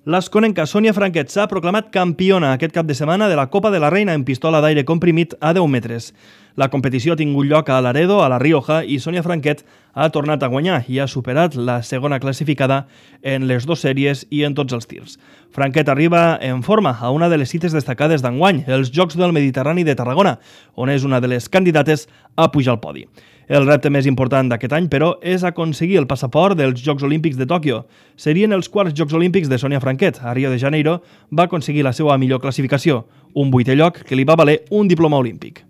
L'asconenca Sònia Franquet s'ha proclamat campiona aquest cap de setmana de la Copa de la Reina en pistola d'aire comprimit a 10 metres. La competició ha tingut lloc a Laredo, a La Rioja, i Sònia Franquet ha tornat a guanyar i ha superat la segona classificada en les dues sèries i en tots els tirs. Franquet arriba en forma a una de les cites destacades d'enguany, els Jocs del Mediterrani de Tarragona, on és una de les candidates a pujar al podi. El repte més important d'aquest any, però, és aconseguir el passaport dels Jocs Olímpics de Tòquio. Serien els quarts Jocs Olímpics de Sònia Franquet. A Rio de Janeiro va aconseguir la seva millor classificació, un 8è lloc que li va valer un diploma olímpic.